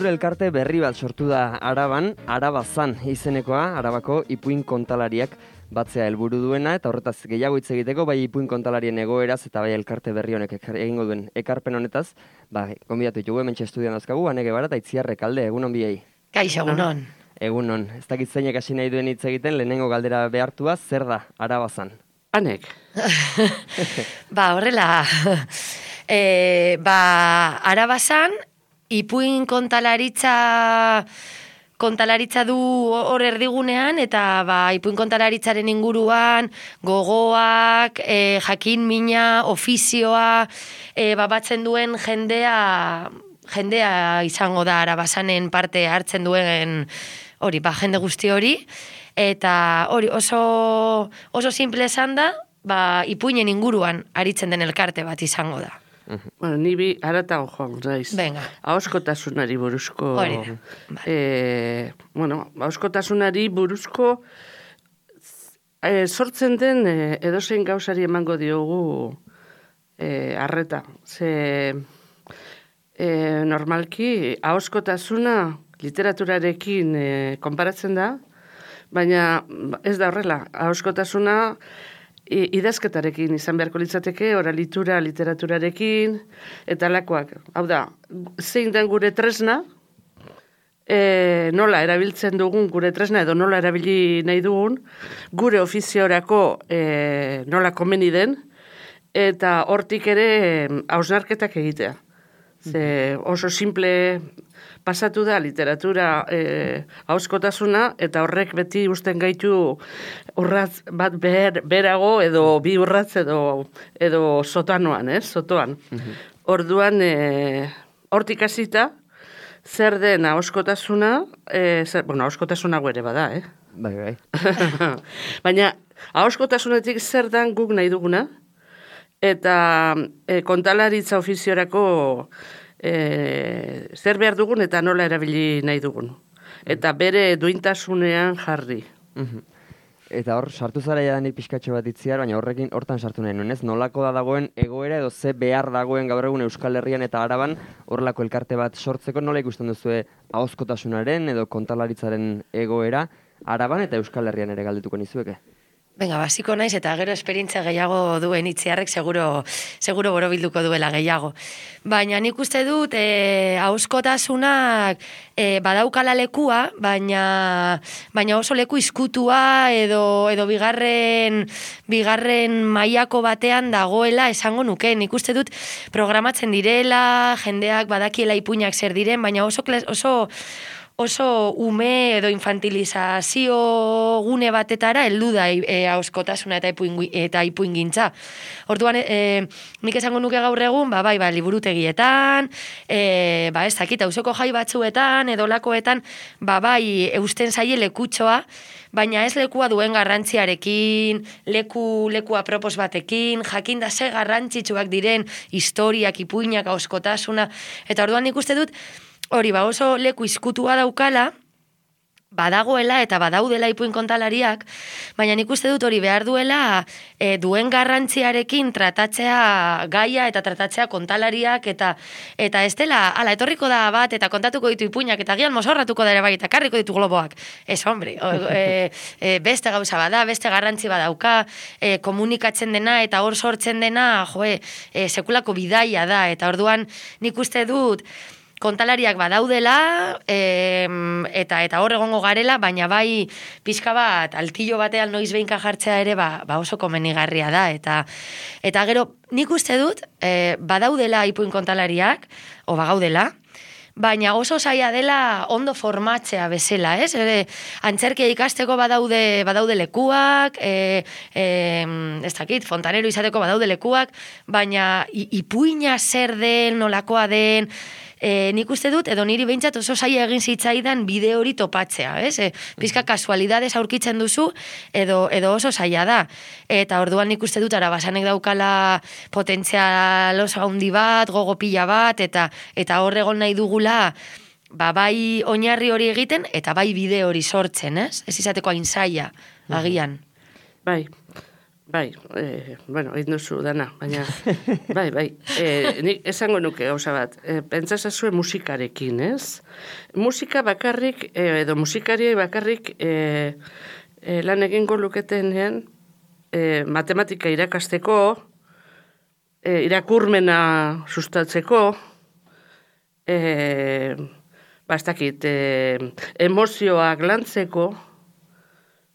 Kultur elkarte berri bat sortu da Araban, Arabazan izenekoa, Arabako ipuin kontalariak batzea helburu duena, eta horretaz gehiago hitz egiteko, bai ipuin kontalarien egoeraz eta bai elkarte berri honek egingo duen ekarpen honetaz, gonbidatu ditugu hementxe estudian dauzkagu, Ane Gebara eta Itziar Rekalde, egunon biei. Kaixo, egunon. Egunon, ez dakit zeinek hasi nahi duen hitz egiten, lehenengo galdera behartua, zer da Arabazan? Anek. Horrela, Arabazan, ipuin kontalaritza du hor erdigunean, eta ipuin kontalaritzaren inguruan gogoak, jakin mina, ofizioa, batzen duen jendea izango da Arabazanen parte hartzen duen hori, jende guzti hori, eta hori oso simple esan da, ipuinen inguruan aritzen den elkarte bat izango da. Bueno, ni bi haratago joan, naiz. Venga. Ahoskotasunari buruzko... Bueno, ahoskotasunari buruzko sortzen den edozein gauzari emango diogu arreta. Normalki, ahoskotasuna literaturarekin konparatzen da, baina ez da horrela. Ahoskotasuna idazketarekin izan beharko litzateke, oralitura literaturarekin, eta lakoak. Hau da, zein den gure tresna, nola erabiltzen dugun gure tresna, edo nola erabili nahi dugun, gure ofiziorako nola komeni den, eta hortik ere hausnarketak egitea. Oso simple pasatu da literatura ahoskotasuna, eta horrek beti usten gaitu urratz bat berago, edo bi urratz edo sotoan. Orduan, hortik hasita, zer den ahoskotasuna, ahoskotasuna ere bada, Bai. Baina, ahoskotasunetik zer den guk nahi duguna, eta kontalaritza ofiziorako zer behar dugun eta nola erabili nahi dugun. Eta bere duintasunean jarri. Eta hor, sartu zara jadanik pixkatxo bat Itziar, baina hortan sartu nahi nuen, ez? Nolako da dagoen egoera edo ze behar dagoen gaur egun Euskal Herrian eta Araban horrelako elkarte bat sortzeko, nola ikusten duzue ahozkotasunaren edo kontalaritzaren egoera Araban eta Euskal Herrian ere galdetuko nizueke? Venga, basiko naiz, eta gero esperientzia gehiago duen Itziarrek seguro borobilduko duela gehiago. Baina nik uste dut, ahoskotasunak badaukala lekua, baina oso leku izkutua edo bigarren mailako batean dagoela esango nuke. Nik uste dut programatzen direla, jendeak badakiela ipuinak zer diren, baina oso ume edo infantilizazio gune batetara heldu da ahoskotasuna eta ipuingintza. Orduan, nik esango nuke gaur egun, liburutegietan, ez dakit, auzoko jai batzuetan, edo lakoetan, eusten zaie lekutxoa, baina ez lekua duen garrantziarekin, leku apropos batekin, jakinda ze garrantzitsuak diren historiak, ipuinak, ahoskotasuna, eta orduan nik uste dut, hori, oso leku izkutua daukala, badagoela eta badaudela ipuin kontalariak, baina nik uste dut hori behar duela duen garrantziarekin tratatzea gaia eta tratatzea kontalariak eta ez dela, etorriko da bat eta kontatuko ditu ipuinak eta gian mozorratuko da ere bai eta karriko ditu globoak. Ez, hombre, beste gauza bada, beste garrantzi badauka, komunikatzen dena eta hor sortzen dena, sekulako bidaia da, eta orduan nik uste dut kontalariak badaudela, eta hor egongo garela, baina bai pixka bat, altillo batean noiz behinka jartzea ere, oso komenigarria da. Eta gero, nik uste dut, badaudela ipuin kontalariak, o bagaudela, baina oso zaila dela ondo formatzea bezala, ez? Antzerkia ikasteko badaude lekuak, ez dakit, fontanero izateko badaude lekuak, baina ipuina zer den, nolakoa den, nik uste dut, edo niri behintzat oso zaila egin zitzaidan bide hori topatzea, ez? Pizka kasualidades aurkitzen duzu, edo oso zaila da. Eta orduan nik uste dut, Arabazanek daukala potentzial oso handi bat, gogo pila bat, eta hor egon nahi dugula, bai oinarri hori egiten, eta bai bide hori sortzen, ez? Ez izateko hain zaila, agian. Bai. Bai, bueno, egin duzu dana, baina, bai, nik esango nuke gauza bat, pentsazazue musikarekin, ez? Musika bakarrik, edo musikariei bakarrik lan egingo luketenean, matematika irakasteko, irakurmena sustatzeko, ez dakit, emozioak lantzeko,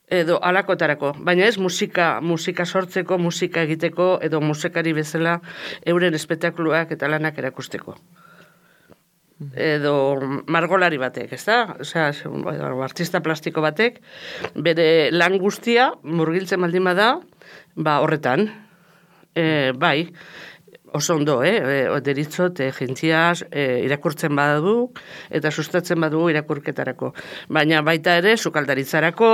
edo alakotarako, baina ez musika sortzeko, musika egiteko, edo musikari bezala euren espektakuluak eta lanak erakusteko. Edo margolari batek, ez da? Osea, artista plastiko batek, bere lan guztia, murgiltzen baldin bada, horretan, bai, oso ondo, deritzot, jentziaz, irakurtzen badu, eta sustatzen badu irakurketarako. Baina baita ere, sukaldaritzarako,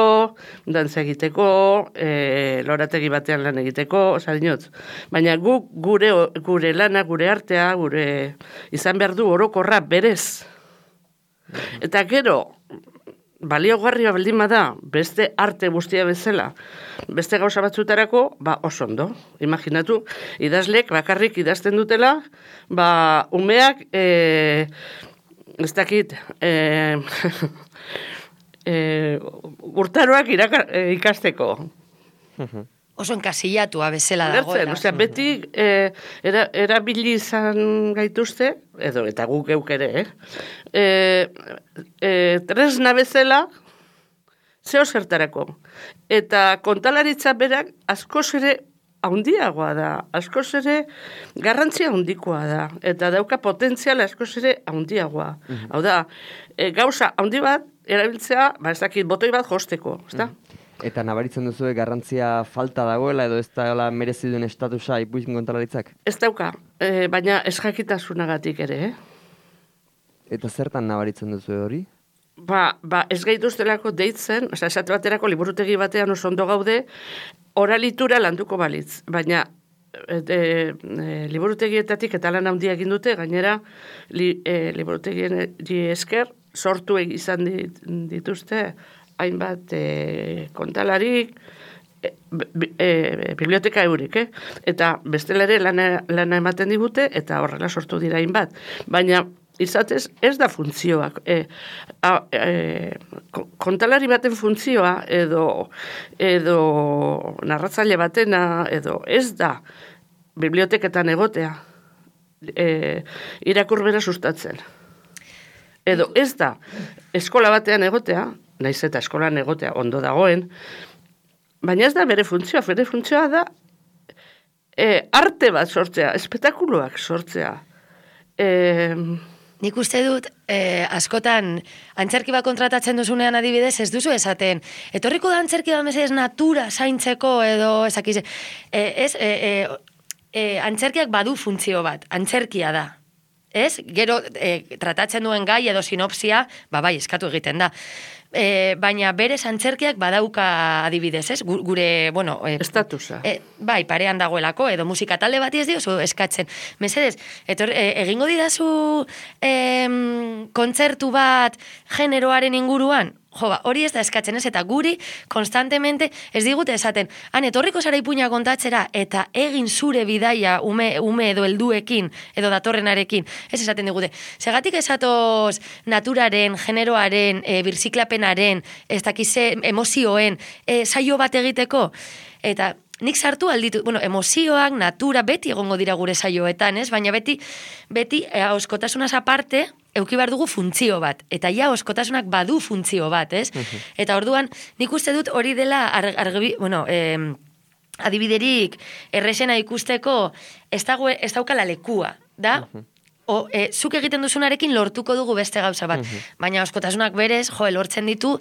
dantza egiteko, lorategi batean lan egiteko, oza, dinot. Baina gure lana, gure artea, gure izan behar du orokorra berez. Eta gero, baliogarria baldin bada, beste arte guztia bezala, beste gauza batzutarako, oso ondo. Imaginatu, idazlek bakarrik idazten dutela, umeak, ez dakit, urtaroak ikasteko. Oso enkasillatua bezala dagoela. Osea, beti erabili izan gaituzte, eta guk geuk ere, tresna bezala, zeo zertarako. Eta kontalaritza berak askoz ere handiagoa da, askoz ere garrantzia handikoa da, eta dauka potentzial askoz ere handiagoa. Hau da, gauza handi bat, erabiltzea, ez dakit, botoi bat josteko, ez da? Eta nabaritzen duzu garrantzia falta dagoela edo ez da merezi duen estatusa ipuin kontalaritzak? Ez dauka, baina ez jakitasunagatik ere, Eta zertan nabaritzen duzu hori? Ez gaituztelako deitzen, esate baterako liburutegi batean oso ondo gaude, oralitura landuko balitz, baina liburutegietatik eta lan handia egin dute, gainera liburutegien esker sortu izan dituzte hainbat kontalarik, biblioteka eurik, eta bestela ere lana ematen digute, eta horrela sortu dira hainbat. Baina izatez ez da funtzioak. Kontalari baten funtzioa, edo narratzaile batena, edo ez da biblioteketan egotea, irakurbera sustatzen. Edo ez da eskola batean egotea, naiz eta eskolan egotea ondo dagoen, baina ez da bere funtzioa da arte bat sortzea, espektakuluak sortzea. Nik uste dut, askotan, antzerki bat kontratatzen duzunean adibidez, ez duzu esaten, etorriko da antzerki bat mesedez natura zaintzeko edo ezakiz, antzerkiak badu funtzio bat, antzerkia da. Ez? Gero, tratatzen duen gai edo sinopsia, bai, eskatu egiten da. Baina berez antzerkiak badauka adibidez, ez? Gure, bueno... Estatusa. Bai, parean dagoelako, edo musika talde bati ez diozu eskatzen. Mesedez, egingo didazu kontzertu bat generoaren inguruan? Hori ez da eskatzen ez, eta guri konstantemente ez digute esaten, etorriko zara ipuina kontatzera, eta egin zure bidaia ume edo helduekin, edo datorrenarekin, ez esaten digute. Segatik esatoz naturaren, generoaren, birziklapenaren, ez dakize emozioen, saio bat egiteko, eta nik sartu alditu, emozioak, natura, beti egongo dira gure saioetan, ez? Baina beti auskotasunaz aparte, euki behar dugu funtzio bat, eta oskotasunak badu funtzio bat, ez? Eta orduan, nik uste dut hori dela adibiderik errexena ikusteko ez daukala lekua, da? Zuk egiten duzunarekin lortuko dugu beste gauza bat. Baina oskotasunak berez, lortzen ditu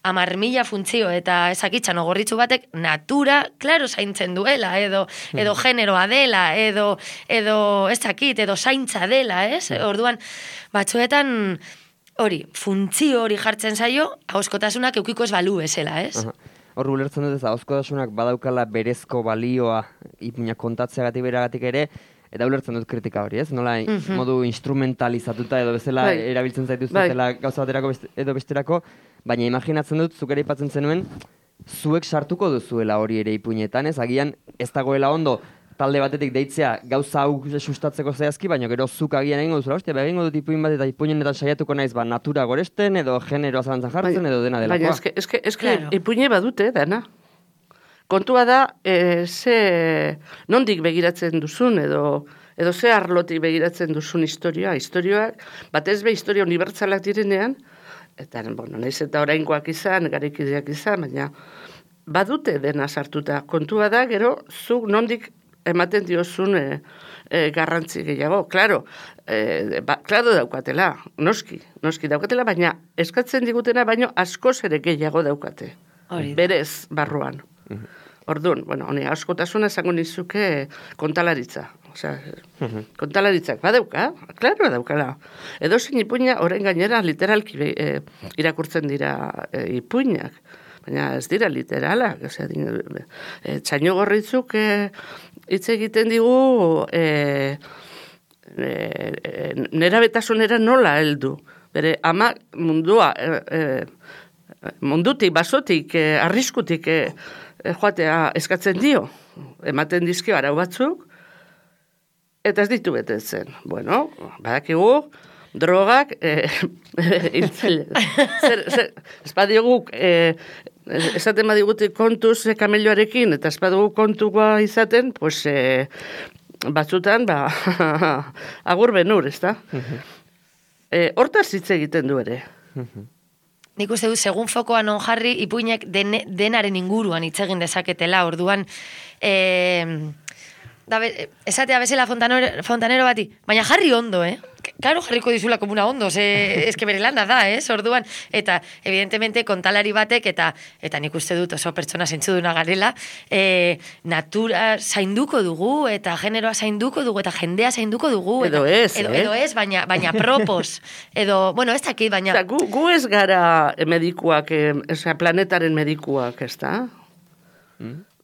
10.000 funtzio, eta ezakitxan ogorritzu batek natura, klaro, zaintzen duela, edo generoa dela, edo ezakit, edo zaintza dela, ez? Orduan, batzuetan hori, funtzio hori jartzen zaio, oskotasunak eukiko ez balu bezala, ez? Hor ulertzen dut ez, oskotasunak badaukala berezko balioa ipuina kontatzeagatik beragatik ere, eta ulertzen dut kritika hori, ez? Nola modu instrumentalizatuta edo bezala erabiltzen zaituztela gauza baterako edo besterako, baina imaginatzen dut, zuk ere aipatzen zenuen, zuek sartuko duzuela hori ere ipuinetan, ez? Agian ez dagoela ondo talde batetik deitzea gauza hau sustatzeko zehazki, baina gero zuk agian egingo duzula, hostia, egingo dut ipuin bat eta ipuinetan saiatuko naiz, natura goresten, edo generoa zalantzan jartzen, edo dena delakoa. Baina, eske, ipuine badute, dana. Kontua da, nondik begiratzen duzun, edo ze arlotik begiratzen duzun historioak, batez be historia unibertsalak direnean, eta, naiz eta oraingoak izan, garaikideak izan, baina badute dena sartuta. Kontua da, gero, zuk nondik ematen diozun garrantzi gehiago. Claro daukatela, noski daukatela, baina eskatzen digutena, baino askoz ere gehiago daukate. Berez barruan. Orduan, honi askotasuna esango nizuke kontalaritza. Osea, kontalaritzak badauka, claro daukala. Edo zein ipuina, orain gainera literalki irakurtzen dira ipuinak. Baina ez dira literalak, txaino gorritzuk hitz egiten digu nerabetasunera nola heldu. Bere ama mundutik, basotik, arriskutik joatea eskatzen dio. Ematen dizkio arau batzuk, eta ez ditu betetzen. Bueno, badakigu, drogak hiltzaile. Espadiogu esaten badigute kontuz kamelioarekin, eta espadugu kontua izaten, pues, batzutan, agur benur, ez da? Hortaz hitz egiten du ere. Nik uste du, segun fokoa non jarri, ipuinek denaren inguruan hitz egin dezaketela, orduan, esatea bezala fontanero bati, baina jarri ondo, Claro, jarriko dizula komuna ondo, eske bere lana da, orduan, eta evidentemente kontalari batek, eta nik uste dut oso pertsona zentzuduna garela, natura zainduko dugu, eta generoa zainduko dugu, eta jendea zainduko dugu. Edo ez, edo ez, baina propos. Edo, bueno, ez dakit, baina... Gu ez gara medikuak, planetaren medikuak, ez da?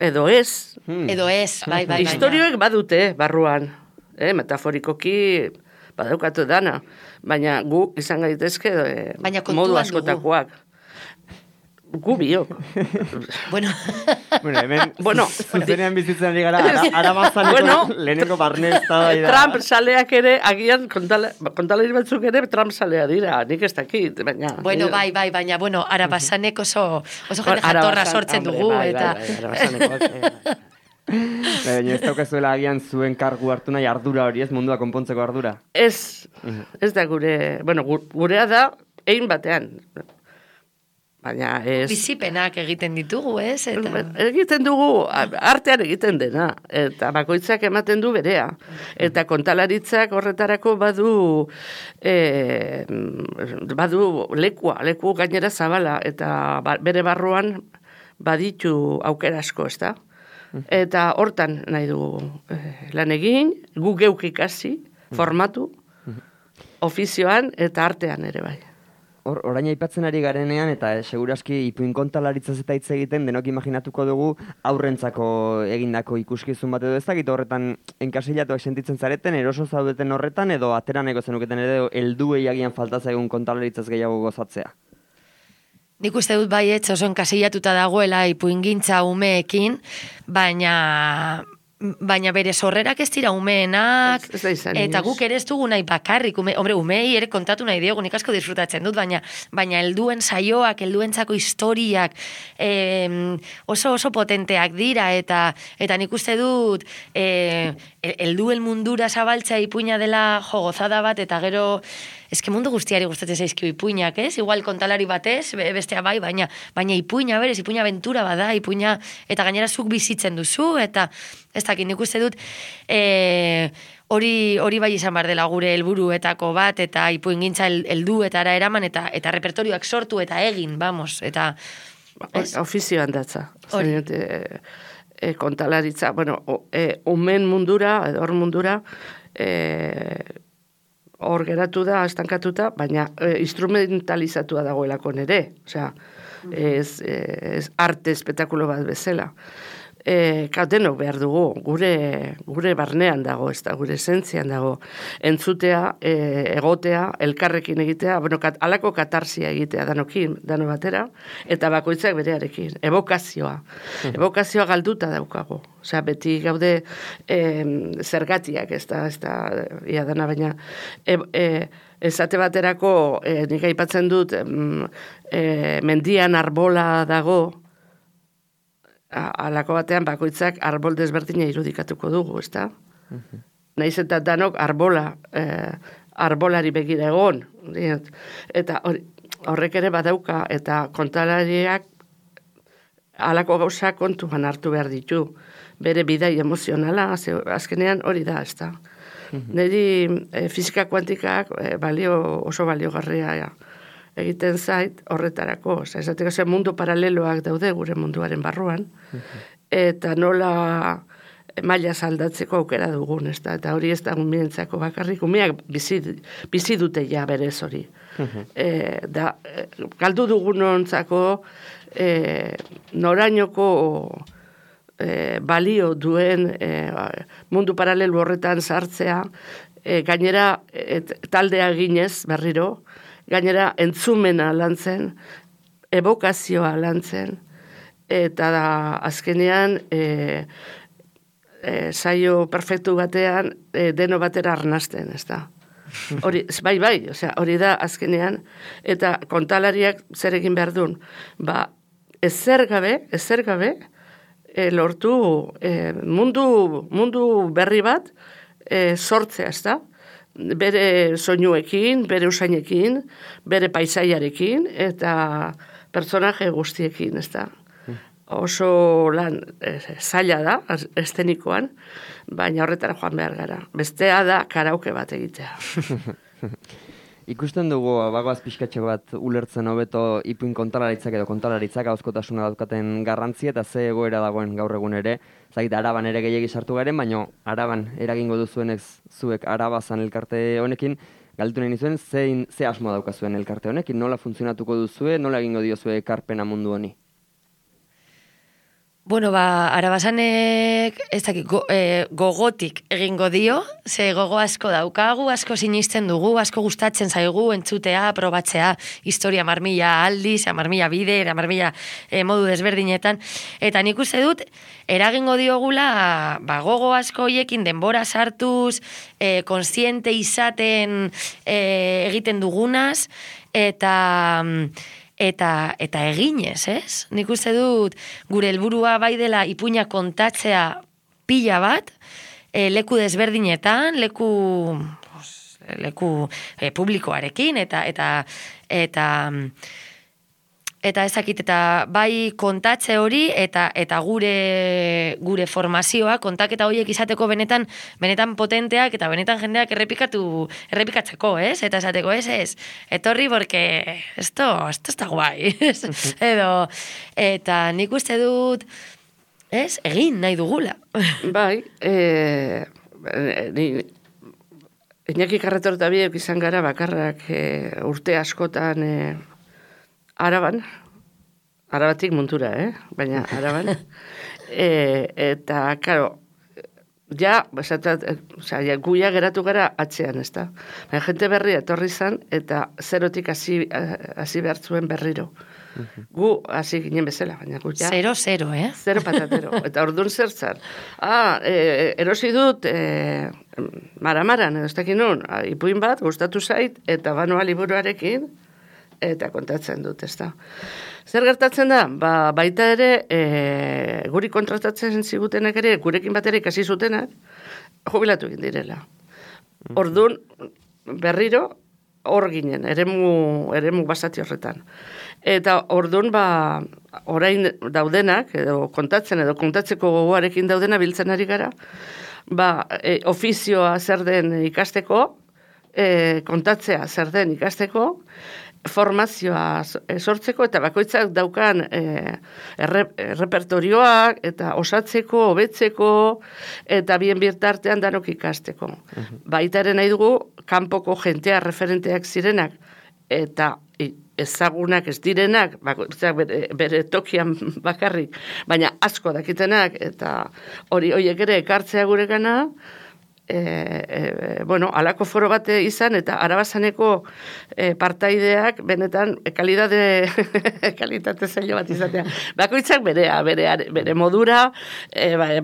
Edo ez. Edo ez, bai. Historioek badute, barruan. Metaforikoki... badaukatu dana, baina gu izan gaitezke modu askotakoak. Gu biok. Bueno, hemen zuzenean bizitzen ari gara, arabazaneko lehenengo barnez da. Trump saleak ere, agian kontalari batzuk ere Trump salea dira, nik ez dakit, baina... Bueno, bai, baina, arabazanek oso jende jatorra sortzen dugu, eta... Baina ez daukazuela agian zuen kargu hartu nahi ardura hori, ez mundua konpontzeko ardura? Ez da gurea da egin batean. Baina ez... Bizipenak egiten ditugu, ez? Egiten dugu, artean egiten dena, eta bakoitzak ematen du berea. Eta kontalaritzak horretarako badu leku gainera zabala, eta bere barruan baditu aukera asko, ez da? Eta hortan nahi dugu lan egin, gu geuk ikasi, formatu, ofizioan eta artean ere bai. Orain aipatzen ari garenean, eta seguraski ipuin kontalaritzaz eta hitz egiten, denok imaginatuko dugu aurrentzako egindako ikuskizun bat edo ez dakit horretan enkasilatuak sentitzen zareten, eroso zaudeten horretan, edo ateraneko zenuketen edo helduei agian faltaza egun kontalaritzaz gehiago gozatzea. Nik uste dut baietz oso enkasilatuta dagoela ipuingintza umeekin, baina bere sorrerak ez dira umeenak, eta guk ere ez dugu nahi bakarrik, umei ere kontatu nahi diogu, nik asko disfrutatzen dut, baina helduen saioak, helduentzako historiak oso potenteak dira, eta nik uste dut helduen mundura zabaltzea ipuina dela gozada bat, eta gero eske mundu guztiari gustatzen zaizkio ipuinak, ez? Igual kontalari batez, bestea bai, baina ipuina berez, ipuina aventura bada, ipuina, eta gainera zuk bizitzen duzu, eta ez dakit, nik uste dut hori bai izan behar dela gure helburuetako bat, eta ipuingintza helduetara eraman, eta repertorioak sortu eta egin, vamos, eta... Ofizioan datza. Kontalaritza, umen mundura, edo hor mundura, hor geratu da, estankatuta, baina instrumentalizatua dagoelako nere. Osea, ez arte espetakulo bat bezala. denok behar dugu, gure barnean dago, ez da, gure esentzian dago, entzutea, egotea, elkarrekin egitea, alako katarsia egitea dano batera, eta bakoitzak berearekin, evokazioa. Evokazioa galduta daukago. Osea, beti gaude zergatiak, ez da, ia dana, baina, esate baterako, nik aipatzen dut, mendian arbola dago, alako batean bakoitzak arbol desberdina irudikatuko dugu, ezta? Naiz eta danok arbolari begira egon. Eta horrek ere badauka, eta kontalariak alako gauza kontuan hartu behar ditu. Bere bidai emozionala, azkenean hori da, ezta? Niri fisika kuantikak oso baliogarria egiten zait horretarako. Esateko mundu paraleloak daude gure munduaren barruan, eta nola maila aldatzeko aukera dugun, ezta? Eta hori ez da umientzako bakarrik, umeak bizi dute ja berez hori. Galdu dugunontzako norainoko balio duen mundu paralelo horretan sartzea, gainera taldea ginez berriro, gainera entzumena lantzen, evokazioa lantzen, eta azkenean saio perfektu batean deno batera arnasten, ez da. Bai, hori da azkenean, eta kontalariak zer egin behar duen, ezer gabe, lortu mundu berri bat sortzea, ez da? Bere soinuekin, bere usainekin, bere paisaiarekin, eta personaje guztiekin, ez da. Oso lan zaila da, estenikoan, baina horretara joan behar gara. Bestea da karaoke bat egitea. Ikusten dugu, bagoaz pixkatxo bat ulertzen hobeto ipuin kontalaritzak edo kontalaritzak ahozkotasuna daukaten garrantzia eta ze egoera dagoen gaur egun ere. Zagit, Araban ere gehiagi sartu garen, baina Araban eragingo duzuenez zuek Arabazan elkarte honekin, galdetu nahi nizuen, ze asmo daukazuen elkarte honekin, nola funtzionatuko duzue, nola egingo diozue ekarpena mundu honi? Bueno, Arabasanek ez dakit, gogotik egingo dio, ze gogo asko daukagu, asko sinisten dugu, asko gustatzen zaigu, entzutea, probatzea, historia marmila aldiz, marmila bide, marmila modu desberdinetan, eta nik uste dut, eragingo diogula, gogo asko hoiekin denbora sartuz, konsiente izaten egiten dugunaz, eta eginez, ez? Nik uste dut gure helburua bai dela ipuina kontatzea pila bat, leku desberdinetan, leku publikoarekin, eta ezakit, eta bai kontatze hori, eta gure formazioa, kontaketa horiek izateko benetan potenteak, eta benetan jendeak errepikatzeko, ez? Eta esateko, ez, etorri, porque esto está guai, edo, eta nik uste dut, ez, egin nahi dugula. Bai, Iñaki Carretor eta biek izan gara bakarrak urte askotan Arabatik muntura, baina Araban. Eta, karo, guia geratu gara atzean, ez da. Baina jente berria etorri zan, eta zerotik hasi behar zuen berriro. Gu hasi ginen bezala, baina gu ja... 0-0, Zero patatero. Eta orduan zer zan. Erosi dut maramaran, edo ez dakin nun, ipuin bat, gustatu zait, eta banoa liburuarekin, eta kontatzen dut, ez da. Zer gertatzen da? Baita ere, guri kontratatzen zigutenak ere, gurekin bat ere ikasi zutenak, jubilatu egin direla. Orduan, berriro, hor ginen, eremu basati horretan. Eta orduan, orain daudenak, edo kontatzeko gogoarekin daudena biltzen ari gara, ofizioa zer den ikasteko, kontatzea zer den ikasteko, formazioa sortzeko eta bakoitzak daukan repertorioak eta osatzeko, hobetzeko eta bien bitartean danok ikasteko. Baitaren nahi dugu kanpoko jentea referenteak zirenak eta ezagunak ez direnak, bakoitzak bere tokian bakarrik, baina asko dakitenak, eta horiek ere ekartzea gurekana, bueno, alako foro bate izan, eta Arabazaneko partaideak benetan kalitate zailo bat izatea. Bakoitzak bere modura,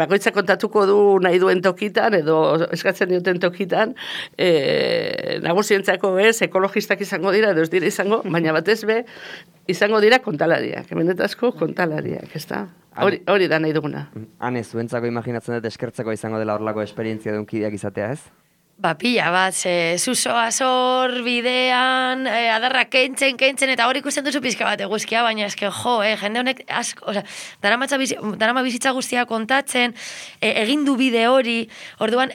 bakoitzak kontatuko du nahi duen tokitan, edo eskatzen duten tokitan, nagusientzako ez, ekologistak izango dira, edo ez dira izango, baina batez be, izango dira kontalariak, benetazko kontalariak, ez da? Hori da nahi duguna. Hane, zuentzako imaginatzen dut eskertzeko izango dela horlako esperientzia dunkideak izatea, ez? Ba, pila bat, zuzoa zor, bidean, adarra kentzen, eta hori ikusten duzu pizka bat eguzkia, baina eske, jende honek asko, darama bizitza guztia kontatzen, egin du bide hori, orduan,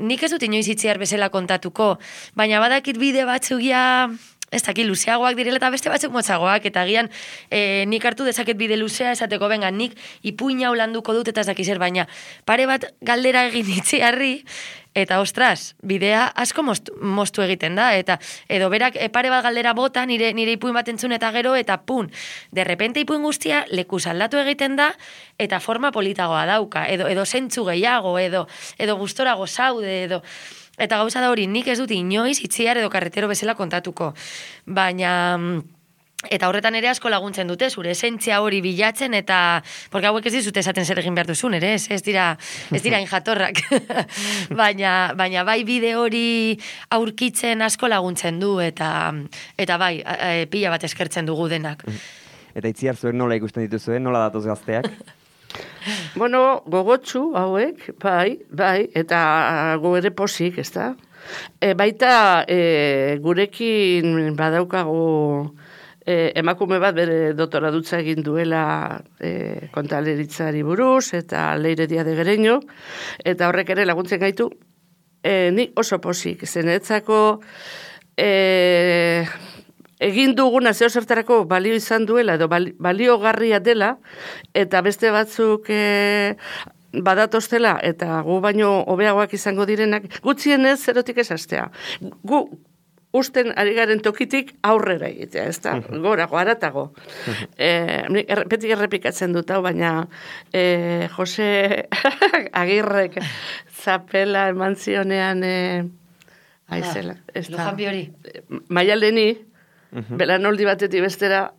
nik ez dut inoiz itziar bezala kontatuko, baina badakit bide batzugia, ez dakit luzeagoak direla eta beste batzuk motzagoak, eta agian nik hartu dezaket bide luzea esateko, benga, nik ipuina holanduko dut eta ez dakizer, baina pare bat galdera egin itziarri, eta ostras, bidea asko moztu egiten da, eta edo berak pare bat galdera bota nire ipuin bat entzun eta gero, eta pun, derrepente ipuin guztia lekuz aldatu egiten da, eta forma politagoa dauka, edo zentzu gehiago, edo gustorago zaude, eta gauza da hori, nik ez dut inoiz itziar edo karretero bezala kontatuko, baina eta horretan ere asko laguntzen dute, zure esentzia hori bilatzen, eta porque hauek ez dizute esaten zer egin behar duzun, ere, ez dira injatorrak, baina bai bide hori aurkitzen asko laguntzen du, eta bai, pila bat eskertzen dugu denak. Eta itziar zuek nola ikusten dituzuen, nola datoz gazteak? Bueno, gogotsu hauek, bai, eta go ere posik, ez da? Baita gurekin badaukagu emakume bat bere doktoradutza egin duela kontaleritzari buruz, eta Leire Díaz de Gereño, eta horrek ere laguntzen gaitu, ni oso posik, zenetzako egin duguna zeo zertarako balio izan duela, edo baliogarria dela, eta beste batzuk badatoztela, eta gu baino hobeagoak izango direnak, gutxienez zerotik esastea. Gu usten ari garen tokitik aurrera egitea, ez da? Gorago, haratago. Beti errepikatzen dut hau, baina Jose Agirrek zapela eman zionean aizela. Lujan Biori. Maialeni, belanoldi batetik bestera,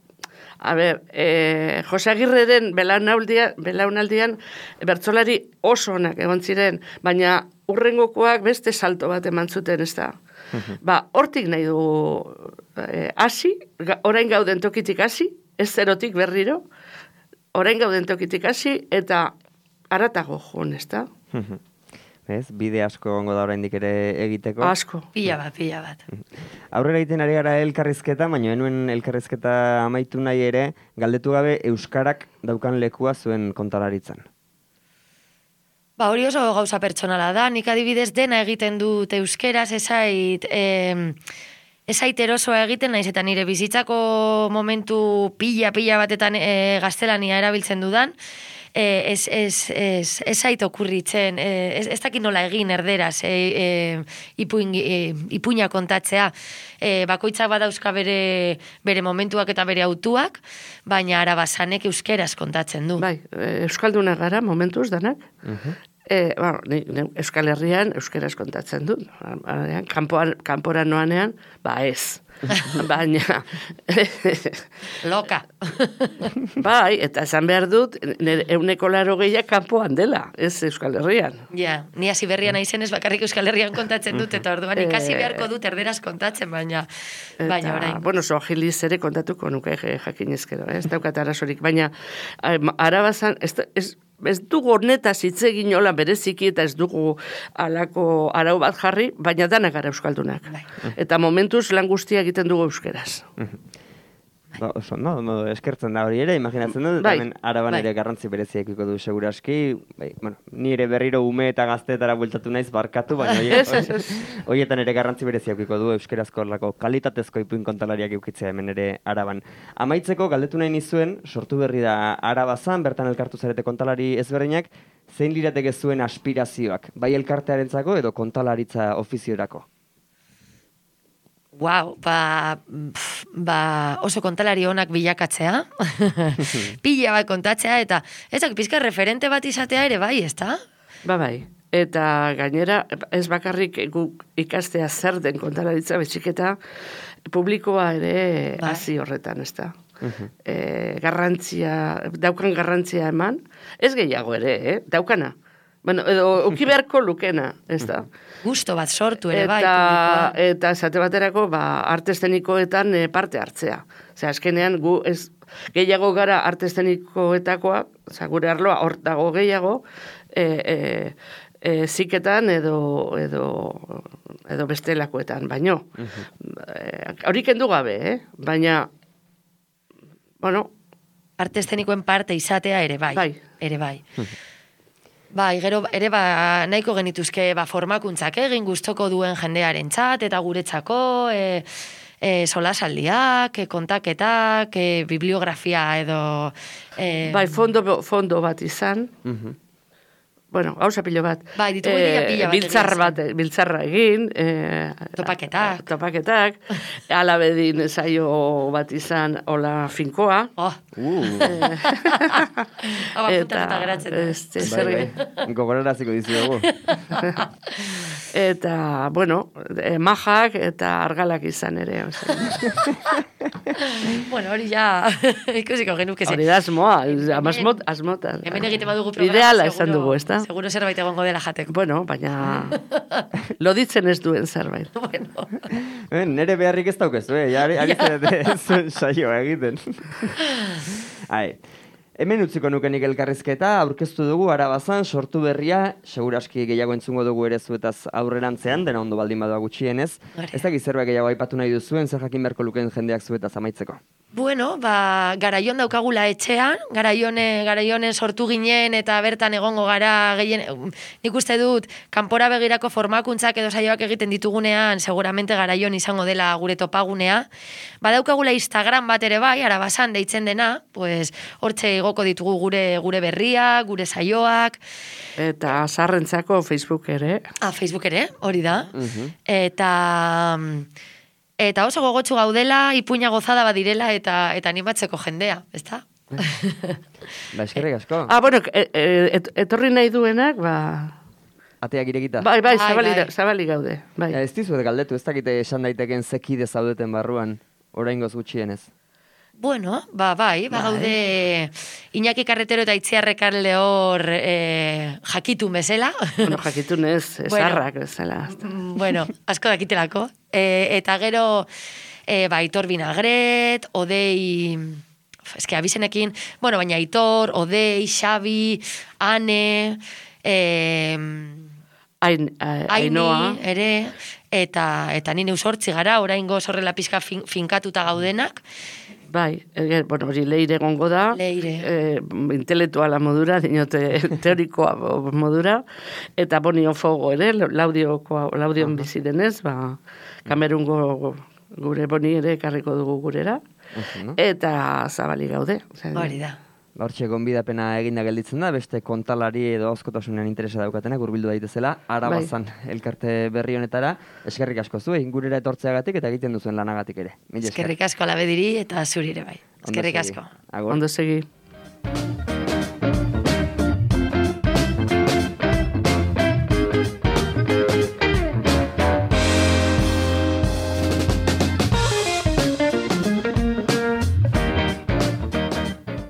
Jose Agirreren belaunaldian bertsolari oso onak egon ziren, baina urrengokoak beste salto bat eman zuten, ez da. Hortik nahi du hasi, orain gauden tokitik hasi, ez zerotik berriro, orain gauden tokitik hasi, eta haratago joan, ez da. Ez, bide asko gongo da oraindik ere egiteko. Asko. Pila bat. Aurrera egiten ari gara elkarrizketa, baina enuen elkarrizketa amaitu nahi ere, galdetu gabe euskarak daukan lekua zuen kontalaritzan. Hori oso gauza pertsonala da, nik adibidez dena egiten dut euskeraz, ezait erosoa egiten, naiz eta nire bizitzako momentu pila batetan gaztelania erabiltzen dudan, ez zait okurritzen, ez dakit nola egin erderaz ipuina kontatzea. Bakoitzak badauzka bere momentuak eta bere autuak, baina Arabazanek euskeraz kontatzen du. Bai, euskaldunak gara momentuz danak. Euskal Herrian euskeraz kontatzen du. Kanpora noanean, ez. Baina loka. Bai, eta esan behar dut 180 kanpoan dela, ez Euskal Herrian. Ja, ni hasi berrian naizenez bakarrik Euskal Herrian kontatzen dut, eta orduan ikasi beharko dut erderaz kontatzen, baina orain. Bueno, Soajiliz ere kontatuko nuke jakinezkero, ez daukat arazorik, baina Arabazan ez dugu honetaz hitz egin hola bereziki, eta ez dugu alako arau bat jarri, baina danak gara euskaldunak. Eta momentuz lan guztia egiten dugu euskeraz. Eskertzen da hori ere, imaginatzen dut, hemen Araban ere garrantzi berezia ekiko du seguraski, ni ere berriro ume eta gazteetara bueltatu naiz barkatu, baina horietan ere garrantzi berezia ekiko du euskerazko kalitatezko ipuin kontalariak eukitzea hemen ere Araban. Amaitzeko, galdetu nahi nizuen, sortu berri da Arabazan, bertan elkartu zarete kontalari ezberdinak, zein lirateke zuen aspirazioak, bai elkartearentzako edo kontalaritza ofiziorako? oso kontalari onak bilakatzea, pila bat kontatzea, eta ezak pizka referente bat izatea ere bai, ezta? Bai. Eta gainera, ez bakarrik guk ikastea zer den kontalaritza, betxiketa publikoa ere hasi horretan, ezta? Daukan garrantzia eman, ez gehiago ere, daukana. Bueno, edo uki beharko lukena, ez da. Gusto bat sortu ere bai publikoa. Eta esate baterako, arte eszenikoetan parte hartzea. Osea, azkenean gu ez gehiago gara arte eszenikoetakoa, gure arloa hor dago gehiago, ziketan edo bestelakoetan, baino. Hori kendu gabe, baina, bueno. Arte eszenikoen parte izatea ere bai. Bai. Ere bai. Bai, gero ere nahiko genituzke formakuntzak egin gustoko duen jendearen txat, eta guretzako solasaldiak, kontaketak, bibliografia edo... Bai, fondo bat izan. Bueno, gauza pilo bat. Bai, ditugu pila bat. Biltzarra egin. Topaketak. Topaketak. Alabedin saio bat izan, hola finkoa. Eta geratzen da. Gogoraraziko dizuegu. Eta, bueno, majak eta argalak izan ere. Bueno, hori ja ikusiko genuke zen. Hori da asmoa, asmotan. Hemen egite badugu programa. Ideala esan dugu, ez da? Seguro zerbait egongo dela jateko. Bueno, baina loditzen ez duen zerbait. Bueno. Nere beharrik ez daukezu, ari zuen saioa egiten. Hemen utziko nukenik elkarrizketa, aurkeztu dugu Arabazan, sortu berria, seguraski gehiago entzungo dugu ere zuetaz aurrerantzean, dena ondo baldin badoa gutxienez. Ez dakit zerbait gehiago aipatu nahi duzuen, zer jakin beharko lukeen jendeak zuetaz amaitzeko. Bueno, garaion daukagula etxean, garaionen sortu ginen eta bertan egongo gara gehien, nik uste dut, kanpora begirako formakuntzak edo saioak egiten ditugunean, seguramente garaion izango dela gure topagunea. Badaukagula Instagram bat ere bai, Arabazan deitzen dena, pues, hortxe igoko ditugu gure berriak, gure saioak. Eta zaharrentzako Facebook ere. Facebook ere, hori da. Eta oso gogotsu gaudela, ipuina gozada badirela eta animatzeko jendea, ezta? Eskerrik asko. Bueno, etorri nahi duenak, Ateak irekita. Bai, zabali gaude. Ez dizuet galdetu, ez dakite esan daiteken zekide zaudeten barruan, oraingoz gutxienez. Bueno, bai, gaude Iñaki Carretero eta Itziarrekar Lehor jakitun bezala. Bueno, jakitun ez, esarrak bezala. Bueno, asko dakitelako. Eta gero, Aitor Vinagret, Odei, eske abizenekin, bueno, baina Aitor, Odei, Xabi, Ane, Ainoa, ere, eta nine usortzi gara, oraingo horrela pizka finkatuta gaudenak. Bai, bueno, hori Leire egongo da. Leire. Intelektuala modura, dinote teorikoa modura. Eta Bonio Fogo ere, Laudion bizi denez, Kamerungo gure Boni ere ekarriko dugu gurera. Eta zabali gaude. Hori da. Hortxe gonbidapena eginda gelditzen da, beste kontalari edo askotasunean interesa daukatenak hurbildu daitezela, Arabazan elkarte berri honetara. Eskerrik asko zuei, gurera etortzeagatik eta egiten duzuen lanagatik ere. Eskerrik asko Labediri eta zuri ere bai. Eskerrik asko. Ondo segi.